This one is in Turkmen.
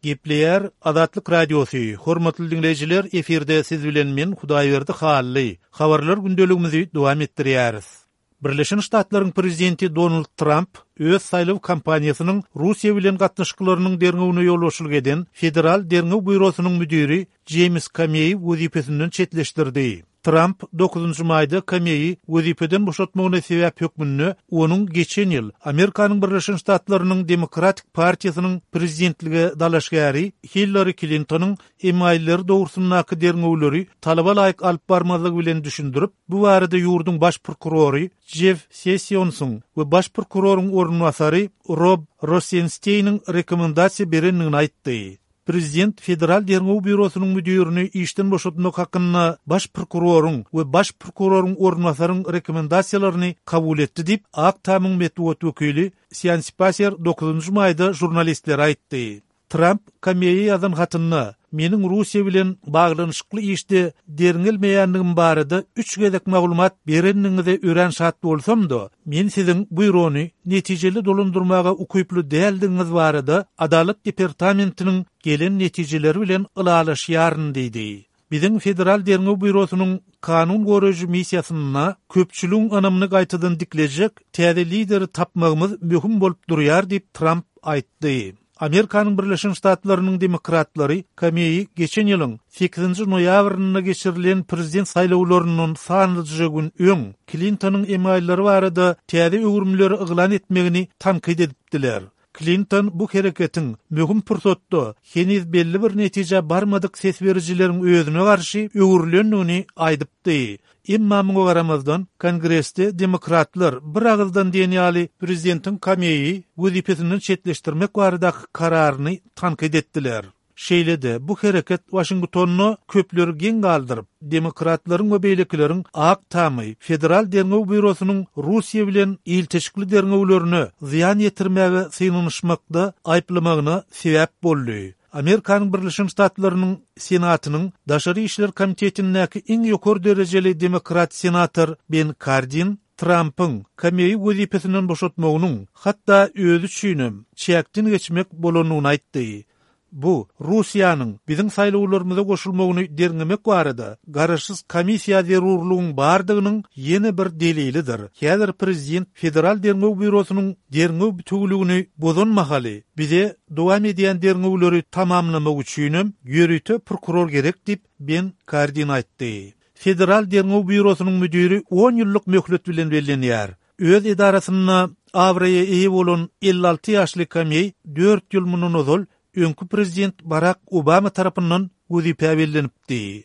Gepleýär Azatlyk Radiosy, Hormatly diňleýjiler, efirde siz bilen men Hudaýberdi Hally. Habarlar gündeligimizi dowam etdirýäris. Birleşen Ştatlaryň prezidenti Donald Tramp öz saýlaw kampaniýasynyň Russiýa bilen gatnaşyklarynyň derňewine ýolbaşçylyk eden Federal derňew býurosynyň müdiri Jeýms Komeýi wezipesinden çetleşdirdi. Tramp dokuzynjy maýda Komeýi wezipeden boşatmagyna sebäp hökmünde onuň geçen ýyl Amerikanyň Birleşen Ştatlarynyň Demokratik partiýasynyň prezidentlige dalaşgäri Hillari Klintonyň emailleri dogrusyndaky derňewleri talaba laýyk alyp barmazlygy bilen düşündirip, bu barada ýurduň baş prokurory Jeff Sessionsyň we baş prokuroryň orunbasary Rob Rosensteiniň rekomendasiýa berendigini aýtdy. Prezident Federal derňew býurosynyň müdirini işden boşatmak hakynda baş prokuroryň we baş prokuroryň orunbasaryň rekomendasiýalaryny kabul etdi diýip, Ak Tamyň metbugat wekili Sian Spaýser dokuzynjy maýda žurnalistlere aýtdy. Tramp Komeýe ýazan hatynda, Meniň Russiýa bilen baglanyşykly işde derňelmeýändigim barada üç gezek maglumat berendigiňize örän şat bolsam-da, men siziň býurony netijeli dolandyrmaga ukyply däldigiňiz barada Adalat departamentiniň gelen netijeleri bilen ylalaşýaryn diýdi. Biziň Federal derňew býurosynyň kanun goraýjy missiýasynda köpçüligiň ynamyny gaýtadan diklejek täze lideri tapmagymyz möhüm bolup durýar diýip, Tramp aýtdy. Amerikanyň Birleşen Ştatlarynyň demokratlary Komeýi geçen ýylyň sekizinji noýabrynda geçirilen prezident saýlawlaryndan sanlyja gün öň Klintonyň emaillary barada täze öwrümleri yglan etmegini tankyt edipdiler. Klinton bu hereketiň möhüm pursatda heniz belli bir netijä barmadyk ses berijileriň özüne garşy öwrülendigini aýdypdy. Emma muňa garamazdan, Kongresde demokratlar bir agyzdan diýen ýaly prezidentiň Komeýi wezipesinden çetleşdirmek baradaky kararyny tankyt etdiler. Şeýle-de, bu hereket Waşingtonda köpleri geň galdyryp, demokratlaryň we beýlekileriň Ak Tamy Federal derňew býurosynyň Russiýa bilen ilteşikli derňewlerine zyýan ýetirmäge synanyşmakda aýyplamagyna sebäp boldy. Amerikanyň Birleşen Ştatlarynyň Senatynyň Daşary işler komitetindäki iň ýokary derejeli demokrat senator Ben Kardin Trampyň Komeýi wezipesinden boşatmagynyň hatda özi üçinem çäkden geçmek bolandygyny aýtdy. Bu, Russiýanyň biziň saýlawlarymyza goşulmagyny derňemek barada garaşsyz komissiýa zerurlygyň bardygynyň ýene bir delilidir. Häzir prezident Federal derňew býurosynyň derňew bitewüligini bozan mahaly, bize dowam edýän derňewleri tamamlamak üçinem ýörite prokuror gerek diýip, Ben Kardin aýtdy. Federal derňew býurosynyň müdiri on ýyllyk möhlet bilen bellenýär. Öz edarasynda abraýa eýe bolan 56 ýaşly Komeý dört ýyl mundan ozal öňki prezident Barak Obama tarapyndan wezipä bellenipdi.